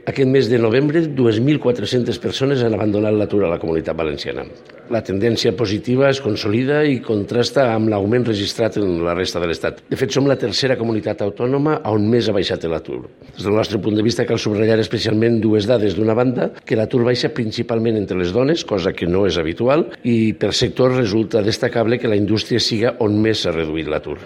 Aquest mes de novembre, 2.400 persones han abandonat l'atur a la Comunitat Valenciana. La tendència positiva es consolida i contrasta amb l'augment registrat en la resta de l'Estat. De fet, som la tercera comunitat autònoma on més ha baixat l'atur. Des del nostre punt de vista, cal subratllar especialment dues dades. D'una banda, que l'atur baixa principalment entre les dones, cosa que no és habitual, i per sector resulta destacable que la indústria siga on més s'ha reduït l'atur.